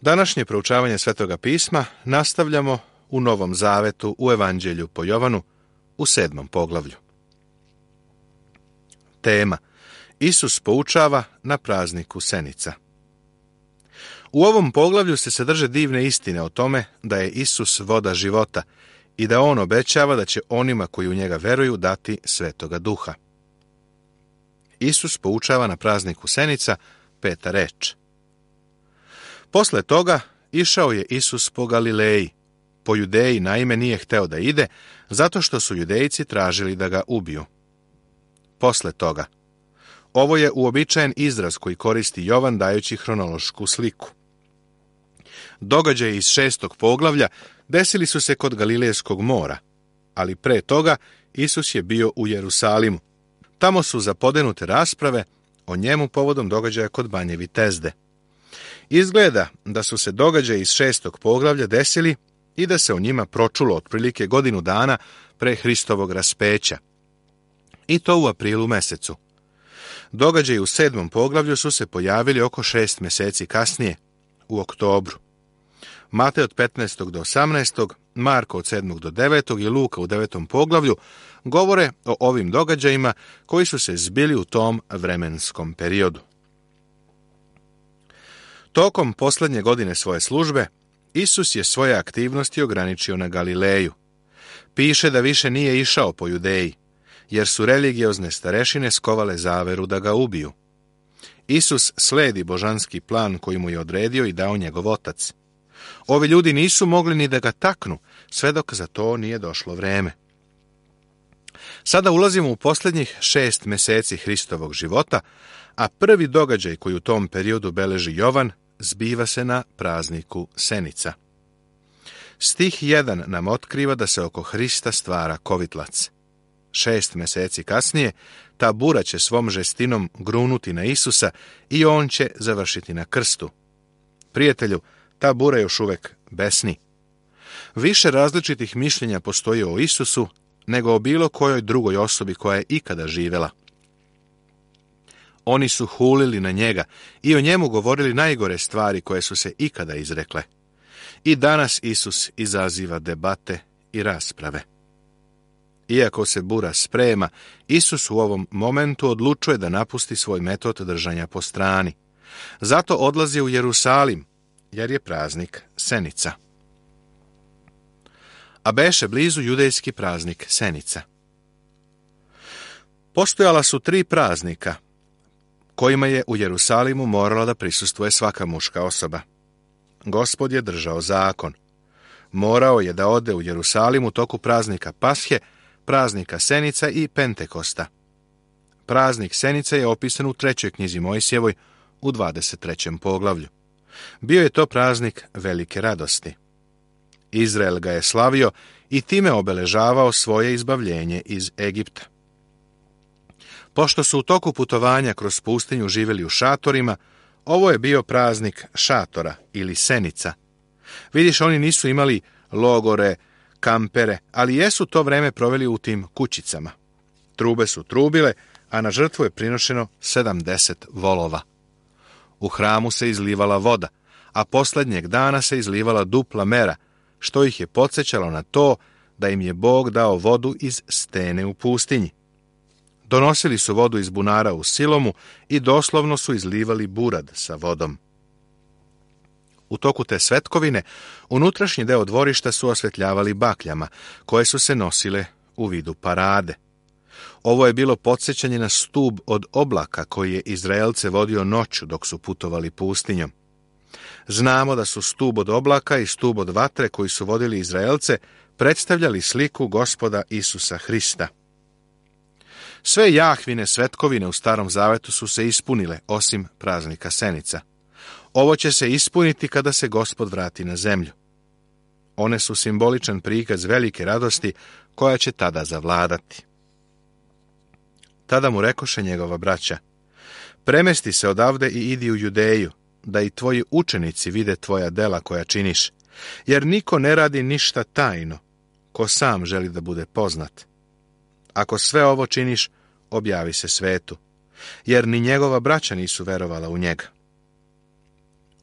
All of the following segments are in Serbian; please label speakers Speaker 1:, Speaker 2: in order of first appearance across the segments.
Speaker 1: Današnje proučavanje Svetoga pisma nastavljamo u Novom Zavetu u Evanđelju po Jovanu u 7. poglavlju. Tema: Isus poučava na prazniku Senica. U ovom poglavlju se sadrže divne istine o tome da je Isus voda života i da on obećava da će onima koji u njega veruju dati Svetoga Duha. Isus poučava na prazniku Senica, 5. reč. Posle toga išao je Isus po Galileji. Po Judeji naime nije hteo da ide, zato što su Judejci tražili da ga ubiju. Posle toga. Ovo je uobičajen izraz koji koristi Jovan dajući hronološku sliku. Događaji iz 6. poglavlja desili su se kod Galilejskog mora, ali pre toga Isus je bio u Jerusalimu. Tamo su zapodenute rasprave o njemu povodom događaja kod Banje Vitezde. Izgleda da su se događaji iz 6. poglavlja desili i da se o njima pročulo otprilike godinu dana pre Hristovog raspeća. I to u aprilu mesecu. Događaji u 7. poglavlju su se pojavili oko 6 meseci kasnije, u oktobru. Matej od 15. do 18., Marko od 7. do 9. i Luka u 9. poglavlju govore o ovim događajima koji su se zbili u tom vremenskom periodu. Tokom posljednje godine svoje službe, Isus je svoje aktivnosti ograničio na Galileju. Piše da više nije išao po Judeji, jer su religiozne starešine skovale zaveru da ga ubiju. Isus sledi božanski plan koji mu je odredio i dao njegov otac. Ovi ljudi nisu mogli ni da ga taknu, sve dok za to nije došlo vreme. Sada ulazimo u posljednjih 6 meseci Hristovog života, a prvi događaj koji u tom periodu beleži Jovan zbiva se na prazniku Senica. Stih 1 nam otkriva da se oko Hrista stvara kovitlac. 6 meseci kasnije ta bura će svom žestinom grunuti na Isusa i on će završiti na krstu. Prijatelju, ta bura još uvek besni. Više različitih mišljenja postoji o Isusu nego o bilo kojoj drugoj osobi koja je ikada živela. Oni su hulili na njega i o njemu govorili najgore stvari koje su se ikada izrekle. I danas Isus izaziva debate i rasprave. Iako se bura sprema, Isus u ovom momentu odlučuje da napusti svoj metod držanja po strani. Zato odlazi u Jerusalim, jer je praznik Senica. A beše blizu judejski praznik Senica. Postojala su 3 praznika, kojima je u Jerusalimu morala da prisustvuje svaka muška osoba. Gospod je držao zakon. Morao je da ode u Jerusalim u toku praznika Pashe, praznika Senica i Pentekosta. Praznik Senica je opisan u 3. knjizi Mojsijevoj u 23. poglavlju. Bio je to praznik velike radosti. Izrael ga je slavio i time obeležavao svoje izbavljenje iz Egipta. Pošto su u toku putovanja kroz pustinju živjeli u šatorima, ovo je bio praznik šatora ili senica. Vidiš, oni nisu imali logore, kampere, ali jesu to vreme proveli u tim kućicama. Trube su trubile, a na žrtvu je prinošeno 70 volova. U hramu se izlivala voda, a posljednjeg dana se izlivala dupla mera, što ih je podsjećalo na to da im je Bog dao vodu iz stene u pustinji. Donosili su vodu iz bunara u Silomu i doslovno su izlivali burad sa vodom. U toku te svetkovine, unutrašnji deo dvorišta su osvetljavali bakljama, koje su se nosile u vidu parade. Ovo je bilo podsjećanje na stub od oblaka koji je Izraelce vodio noću dok su putovali pustinjom. Znamo da su stub od oblaka i stub od vatre koji su vodili Izraelce predstavljali sliku Gospoda Isusa Hrista. Sve Jahvine svetkovine u Starom Zavetu su se ispunile, osim praznika Senica. Ovo će se ispuniti kada se Gospod vrati na zemlju. One su simboličan prikaz velike radosti koja će tada zavladati. Tada mu rekoše njegova braća: premesti se odavde i idi u Judeju, da i tvoji učenici vide tvoja dela koja činiš, jer niko ne radi ništa tajno, ko sam želi da bude poznat. Ako sve ovo činiš, objavi se svetu, jer ni njegova braća nisu verovala u njega.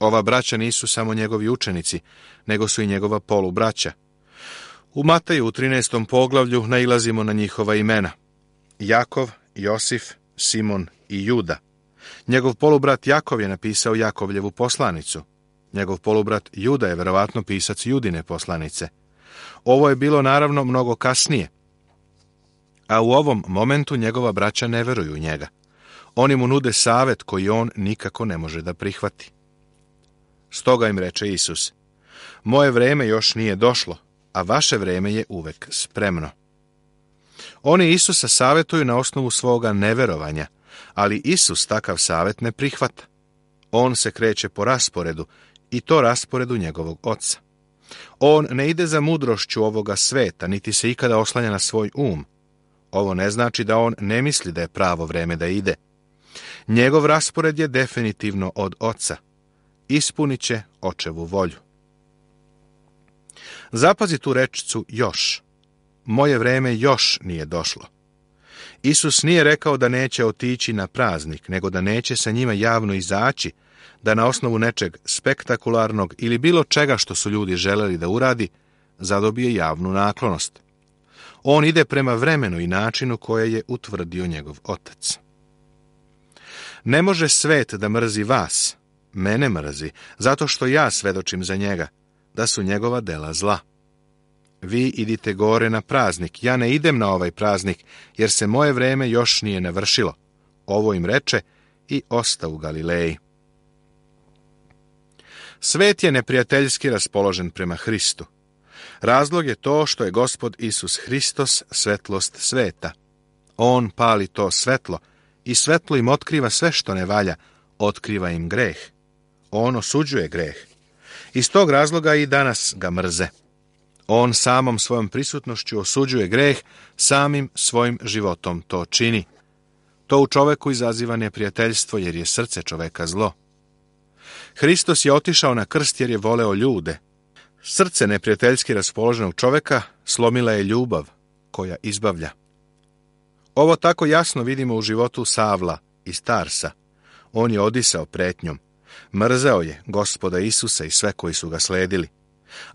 Speaker 1: Ova braća nisu samo njegovi učenici, nego su i njegova polubraća. U Mateju u 13. poglavlju nailazimo na njihova imena: Jakov, Josif, Simon i Juda. Njegov polubrat Jakov je napisao Jakovljevu poslanicu. Njegov polubrat Juda je verovatno pisac Judine poslanice. Ovo je bilo naravno mnogo kasnije. A u ovom momentu njegova braća ne veruju u njega. Oni mu nude savjet koji on nikako ne može da prihvati. Stoga im reče Isus: moje vreme još nije došlo, a vaše vreme je uvek spremno. Oni Isusa savjetuju na osnovu svoga neverovanja, ali Isus takav savjet ne prihvata. On se kreće po rasporedu, i to rasporedu njegovog Oca. On ne ide za mudrošću ovoga sveta, niti se ikada oslanja na svoj um. Ovo ne znači da on ne misli da je pravo vreme da ide. Njegov raspored je definitivno od Oca. Ispunit će Očevu volju. Zapazi tu rečicu još. Moje vreme još nije došlo. Isus nije rekao da neće otići na praznik, nego da neće sa njima javno izaći, da na osnovu nečeg spektakularnog ili bilo čega što su ljudi želeli da uradi, zadobije javnu naklonost. On ide prema vremenu i načinu koje je utvrdio njegov Otac. Ne može svet da mrzi vas, mene mrzi, zato što ja svedočim za njega, da su njegova dela zla. Vi idite gore na praznik, ja ne idem na ovaj praznik, jer se moje vreme još nije navršilo. Ovo im reče i osta u Galileji. Svet je neprijateljski raspoložen prema Hristu. Razlog je to što je Gospod Isus Hristos svetlost sveta. On pali to svetlo i svetlo im otkriva sve što ne valja, otkriva im greh. On osuđuje greh. Iz tog razloga i danas ga mrze. On samom svojom prisutnošću osuđuje greh, samim svojim životom to čini. To u čoveku izaziva neprijateljstvo, jer je srce čoveka zlo. Hristos je otišao na krst jer je voleo ljude. Srce neprijateljski raspoloženog čoveka slomila je ljubav koja izbavlja. Ovo tako jasno vidimo u životu Savla iz Tarsa. On je odisao pretnjom. Mrzeo je Gospoda Isusa i sve koji su ga sledili.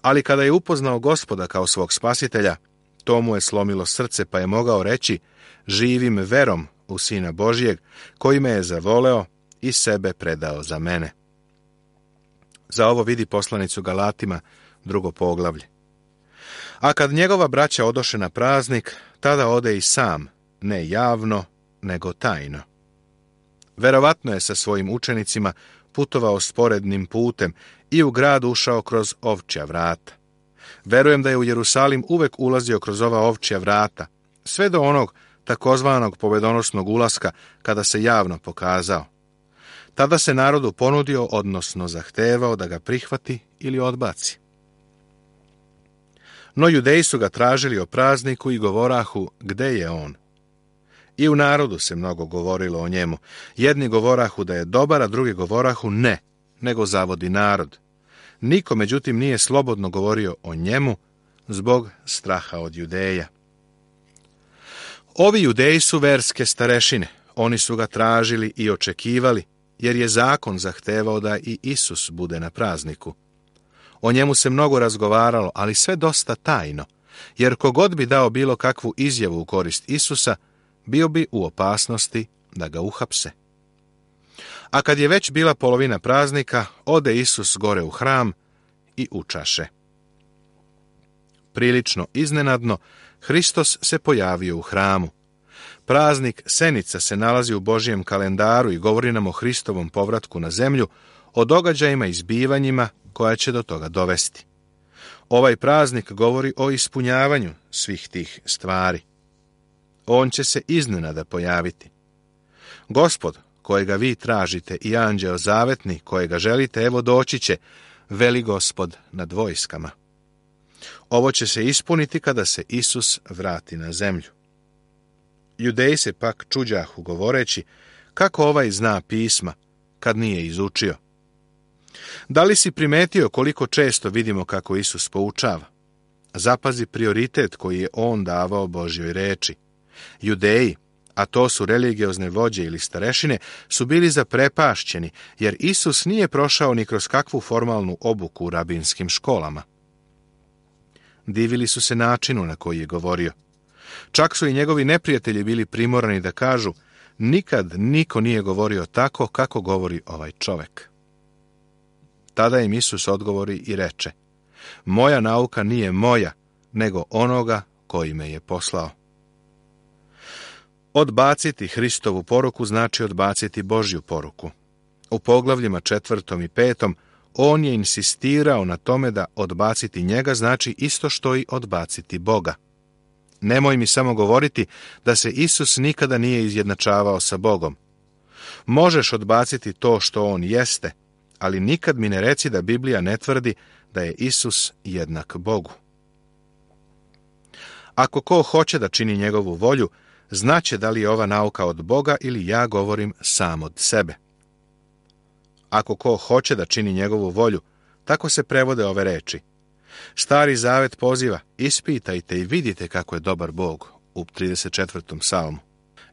Speaker 1: Ali kada je upoznao Gospoda kao svog spasitelja, to mu je slomilo srce, pa je mogao reći: živim verom u Sina Božijeg, koji me je zavoleo i sebe predao za mene. Za ovo vidi poslanicu Galatima, 2. poglavlje. A kad njegova braća odoše na praznik, tada ode i sam, ne javno, nego tajno. Verovatno je sa svojim učenicima putovao sporednim putem i u grad ušao kroz ovčja vrata. Verujem da je u Jerusalim uvek ulazio kroz ova ovčja vrata, sve do onog takozvanog pobedonosnog ulaska kada se javno pokazao. Tada se narodu ponudio, odnosno zahtevao da ga prihvati ili odbaci. No Judeji su ga tražili o prazniku i govorahu: gde je on? I u narodu se mnogo govorilo o njemu. Jedni govorahu da je dobar, a drugi govorahu ne, nego zavodi narod. Niko, međutim, nije slobodno govorio o njemu zbog straha od Judeja. Ovi Judeji su verske starešine. Oni su ga tražili i očekivali, jer je zakon zahtevao da i Isus bude na prazniku. O njemu se mnogo razgovaralo, ali sve dosta tajno, jer kogod bi dao bilo kakvu izjavu u korist Isusa, bio bi u opasnosti da ga uhapse. A kad je već bila polovina praznika, ode Isus gore u hram i učaše. Prilično iznenadno, Hristos se pojavio u hramu. Praznik Senica se nalazi u Božijem kalendaru i govori nam o Hristovom povratku na zemlju, o događajima i zbivanjima koja će do toga dovesti. Ovaj praznik govori o ispunjavanju svih tih stvari. On će se iznenada pojaviti. Gospod, kojega vi tražite, i anđeo zavetni, kojega želite, evo doći će, veli Gospod nad vojskama. Ovo će se ispuniti kada se Isus vrati na zemlju. Judeji se pak čuđahu govoreći: kako ovaj zna pisma, kad nije izučio? Da li si primetio koliko često vidimo kako Isus poučava? Zapazi prioritet koji je on davao Božjoj reči. Judeji, a to su religiozne vođe ili starešine, su bili zaprepašćeni, jer Isus nije prošao ni kroz kakvu formalnu obuku u rabinskim školama. Divili su se načinu na koji je govorio. Čak su i njegovi neprijatelji bili primorani da kažu: nikad niko nije govorio tako kako govori ovaj čovek. Tada im Isus odgovori i reče: moja nauka nije moja, nego onoga koji me je poslao. Odbaciti Hristovu poruku znači odbaciti Božju poruku. U poglavljima 4. i 5. on je insistirao na tome da odbaciti njega znači isto što i odbaciti Boga. Nemoj mi samo govoriti da se Isus nikada nije izjednačavao sa Bogom. Možeš odbaciti to što on jeste, ali nikad mi ne reci da Biblija ne tvrdi da je Isus jednak Bogu. Ako ko hoće da čini njegovu volju, znaće da li je ova nauka od Boga ili ja govorim sam od sebe. Ako ko hoće da čini njegovu volju, tako se prevode ove reči. Stari zavet poziva: ispitajte i vidite kako je dobar Bog, u 34. psalmu.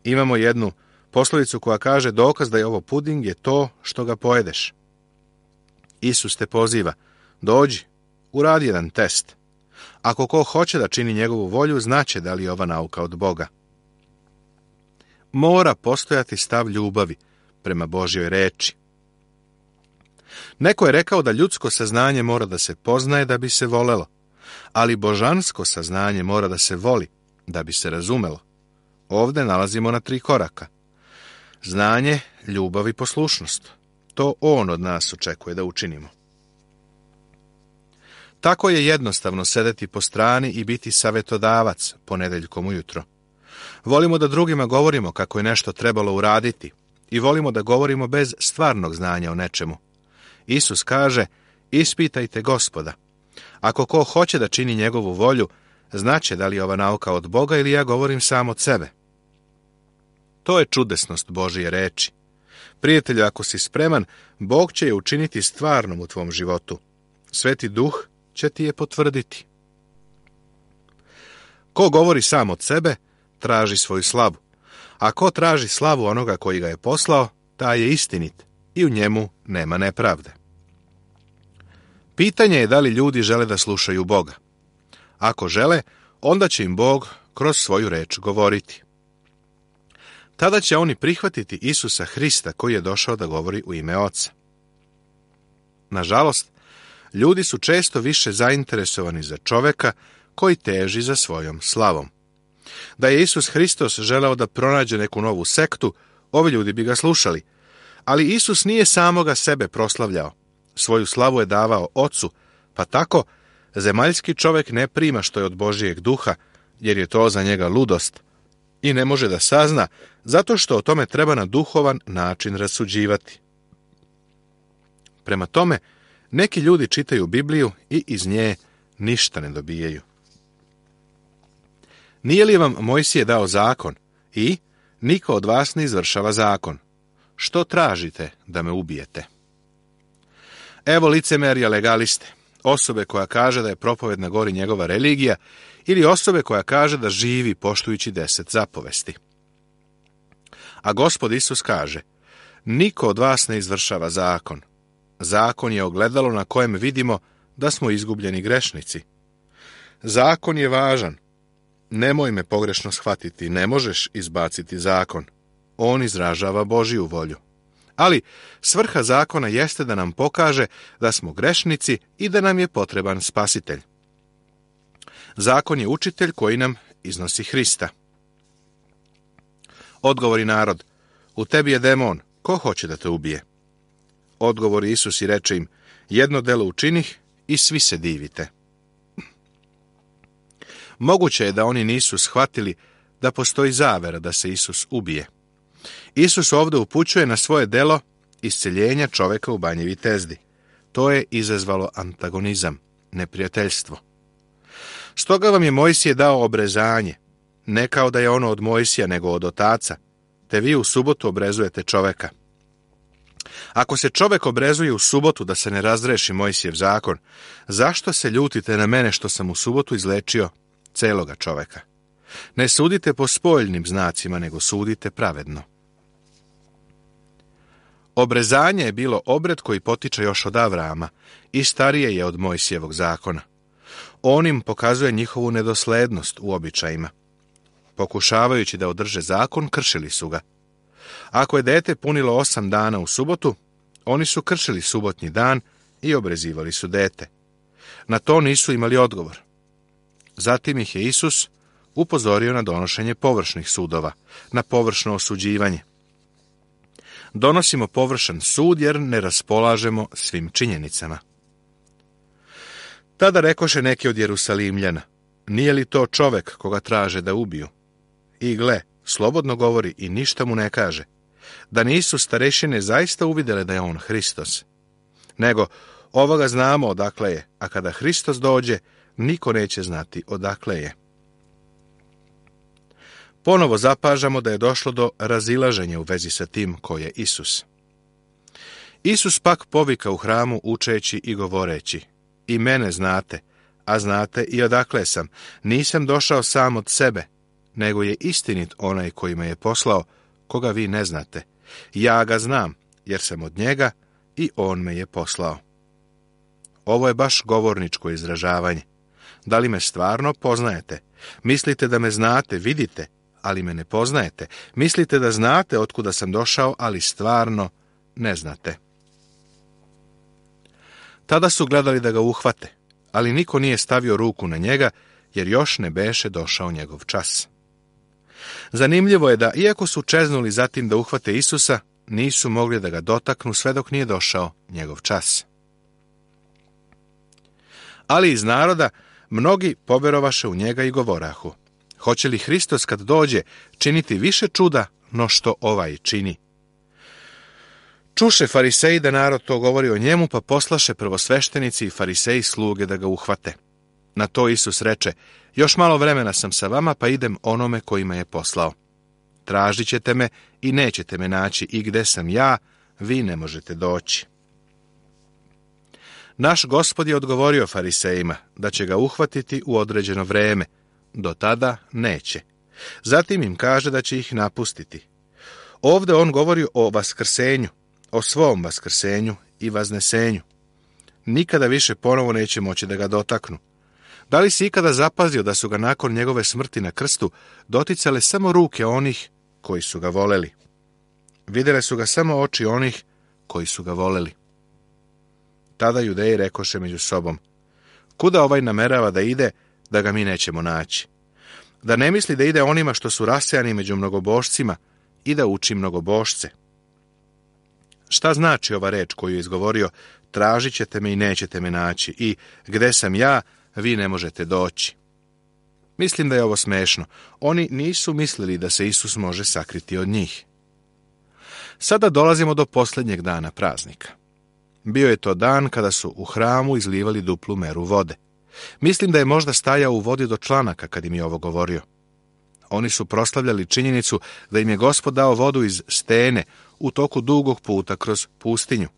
Speaker 1: Imamo jednu poslovicu koja kaže: dokaz da je ovo puding je to što ga pojedeš. Isus te poziva: dođi, uradi jedan test. Ako ko hoće da čini njegovu volju, znaće da li je ova nauka od Boga. Mora postojati stav ljubavi prema Božjoj reči. Neko je rekao da ljudsko saznanje mora da se poznaje da bi se volelo, ali božansko saznanje mora da se voli da bi se razumelo. Ovde nalazimo na 3 koraka. Znanje, ljubav i poslušnost. To on od nas očekuje da učinimo. Tako je jednostavno sedeti po strani i biti savetodavac ponedeljkom ujutro. Volimo da drugima govorimo kako je nešto trebalo uraditi i volimo da govorimo bez stvarnog znanja o nečemu. Isus kaže: ispitajte Gospoda. Ako ko hoće da čini njegovu volju, znaće da li je ova nauka od Boga ili ja govorim sam od sebe. To je čudesnost Božije reči. Prijatelju, ako si spreman, Bog će je učiniti stvarnom u tvom životu. Sveti Duh će ti je potvrditi. Ko govori sam od sebe, traži svoju slavu. A ko traži slavu onoga koji ga je poslao, taj je istinit i u njemu nema nepravde. Pitanje je da li ljudi žele da slušaju Boga. Ako žele, onda će im Bog kroz svoju reč govoriti. Tada će oni prihvatiti Isusa Hrista koji je došao da govori u ime Oca. Nažalost, ljudi su često više zainteresovani za čoveka koji teži za svojom slavom. Da je Isus Hristos želeo da pronađe neku novu sektu, ovi ljudi bi ga slušali. Ali Isus nije samoga sebe proslavljao. Svoju slavu je davao Ocu, pa tako zemaljski čovek ne prima što je od Božijeg duha, jer je to za njega ludost i ne može da sazna, zato što o tome treba na duhovan način rasuđivati. Prema tome, neki ljudi čitaju Bibliju i iz nje ništa ne dobijaju. Nije li vam Mojsije dao zakon i niko od vas ne izvršava zakon? Što tražite da me ubijete? Evo licemerja legaliste, osobe koja kaže da je propoved na gori njegova religija ili osobe koja kaže da živi poštujući 10 zapovesti. A Gospod Isus kaže: niko od vas ne izvršava zakon. Zakon je ogledalo na kojem vidimo da smo izgubljeni grešnici. Zakon je važan. Nemoj me pogrešno shvatiti, ne možeš izbaciti zakon. On izražava Božiju volju. Ali svrha zakona jeste da nam pokaže da smo grešnici i da nam je potreban spasitelj. Zakon je učitelj koji nam iznosi Hrista. Odgovori narod: u tebi je demon, ko hoće da te ubije? Odgovori Isus i reče im: jedno delo učinih i svi se divite. Moguće je da oni nisu shvatili da postoji zavera da se Isus ubije. Isus ovdje upućuje na svoje delo isceljenja čoveka u Banji Vitezdi. To je izazvalo antagonizam, neprijateljstvo. Stoga vam je Mojsije dao obrezanje, ne kao da je ono od Mojsija, nego od otaca, te vi u subotu obrezujete čoveka. Ako se čovek obrezuje u subotu da se ne razreši Mojsijev zakon, zašto se ljutite na mene što sam u subotu izlečio celoga čoveka? Ne sudite po spoljnim znacima, nego sudite pravedno. Obrezanje je bilo obred koji potiče još od Avrama i starije je od Mojsijevog zakona. On im pokazuje njihovu nedoslednost u običajima. Pokušavajući da održe zakon, kršili su ga. Ako je dete punilo 8 dana u subotu, oni su kršili subotnji dan i obrezivali su dete. Na to nisu imali odgovor. Zatim ih je Isus upozorio na donošenje površnih sudova, na površno osuđivanje. Donosimo površan sud jer ne raspolažemo svim činjenicama. Tada rekoše neki od Jerusalimljana, nije li to čovek koga traže da ubiju? I gle, slobodno govori i ništa mu ne kaže. Da nisu starešine zaista uvidjele da je on Hristos. Nego, ovoga znamo odakle je, a kada Hristos dođe, niko neće znati odakle je. Ponovo zapažamo da je došlo do razilaženja u vezi sa tim ko je Isus. Isus pak povika u hramu učeći i govoreći, i mene znate, a znate i odakle sam. Nisam došao sam od sebe, nego je istinit onaj koji me je poslao, koga vi ne znate. Ja ga znam, jer sam od njega i on me je poslao. Ovo je baš govorničko izražavanje. Da li me stvarno poznajete? Mislite da me znate, vidite, ali me ne poznajete. Mislite da znate otkuda sam došao, ali stvarno ne znate. Tada su gledali da ga uhvate, ali niko nije stavio ruku na njega, jer još ne beše došao njegov čas. Zanimljivo je da, iako su čeznuli zatim da uhvate Isusa, nisu mogli da ga dotaknu sve dok nije došao njegov čas. Ali iz naroda mnogi poverovaše u njega i govorahu, hoće li Hristos kad dođe činiti više čuda no što ovaj čini? Čuše fariseji da narod to govori o njemu, pa poslaše prvosveštenici i fariseji sluge da ga uhvate. Na to Isus reče, još malo vremena sam sa vama, pa idem onome koji me je poslao. Tražit ćete me i nećete me naći, i gde sam ja, vi ne možete doći. Naš Gospod je odgovorio farisejima da će ga uhvatiti u određeno vreme, do tada neće. Zatim im kaže da će ih napustiti. Ovdje on govori o vaskrsenju, o svom vaskrsenju i vaznesenju. Nikada više ponovo neće moći da ga dotaknu. Da li si ikada zapazio da su ga nakon njegove smrti na krstu doticale samo ruke onih koji su ga voleli? Vidjele su ga samo oči onih koji su ga voleli. Tada Judeji rekoše među sobom, kuda ovaj namerava da ide, da ga mi nećemo naći? Da ne misli da ide onima što su rasejani među mnogobošcima i da uči mnogobošce? Šta znači ova reč koju je izgovorio, tražit ćete me i nećete me naći, i gde sam ja, vi ne možete doći? Mislim da je ovo smešno. Oni nisu mislili da se Isus može sakriti od njih. Sada dolazimo do posljednjeg dana praznika. Bio je to dan kada su u hramu izlivali duplu meru vode. Mislim da je možda stajao u vodi do članaka kad im je ovo govorio. Oni su proslavljali činjenicu da im je Gospod dao vodu iz stene u toku dugog puta kroz pustinju.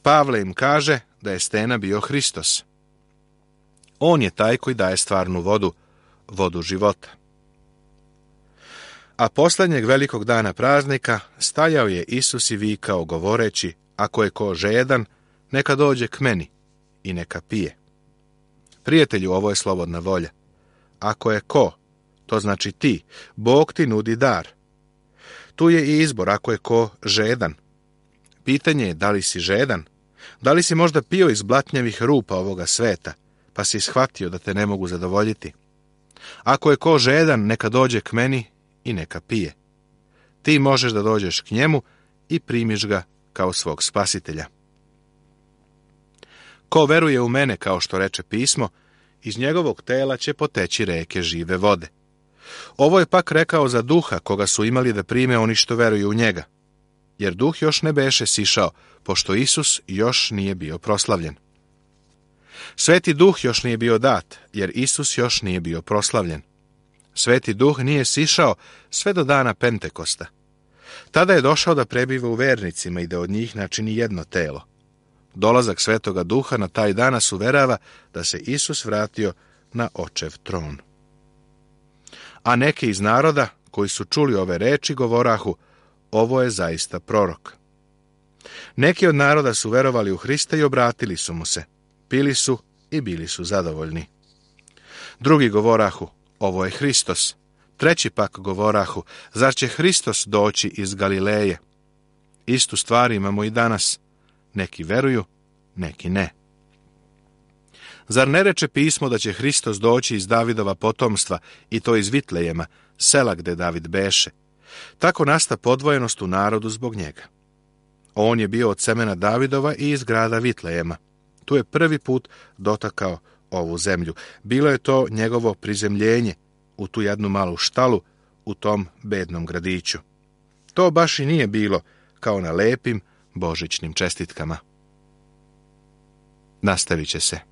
Speaker 1: Pavle im kaže da je stena bio Hristos. On je taj koji daje stvarnu vodu, vodu života. A posljednjeg velikog dana praznika stajao je Isus i vikao govoreći, ako je ko žedan, neka dođe k meni i neka pije. Prijatelju, ovo je slobodna volja. Ako je ko, to znači ti, Bog ti nudi dar. Tu je i izbor, ako je ko žedan. Pitanje je da li si žedan, da li si možda pio iz blatnjavih rupa ovoga sveta, pa si shvatio da te ne mogu zadovoljiti. Ako je ko žedan, neka dođe k meni i neka pije. Ti možeš da dođeš k njemu i primiš ga kao svog spasitelja. Ko veruje u mene, kao što reče pismo, iz njegovog tela će poteći reke žive vode. Ovo je pak rekao za duha koga su imali da prime oni što veruju u njega, jer duh još ne beše sišao, pošto Isus još nije bio proslavljen. Sveti duh još nije bio dat, jer Isus još nije bio proslavljen. Sveti duh nije sišao sve do dana Pentekosta. Tada je došao da prebiva u vernicima i da od njih načini jedno telo. Dolazak Svetoga Duha na taj dan nas uverava da se Isus vratio na Očev tron. a neki iz naroda, koji su čuli ove reči, govorahu, ovo je zaista prorok. Neki od naroda su verovali u Hrista i obratili su mu se, pili su i bili su zadovoljni. Drugi govorahu, ovo je Hristos. Treći pak govorahu, zar će Hristos doći iz Galileje? Istu stvar imamo i danas. Neki veruju, neki ne. Zar ne reče pismo da će Hristos doći iz Davidova potomstva, i to iz Vitlejema, sela gde David beše? Tako nasta podvojenost u narodu zbog njega. On je bio od semena Davidova i iz grada Vitlejema. Tu je prvi put dotakao ovu zemlju. Bilo je to njegovo prizemljenje u tu jednu malu štalu u tom bednom gradiću. To baš i nije bilo kao na lepim božićnim čestitkama. Nastavit će se.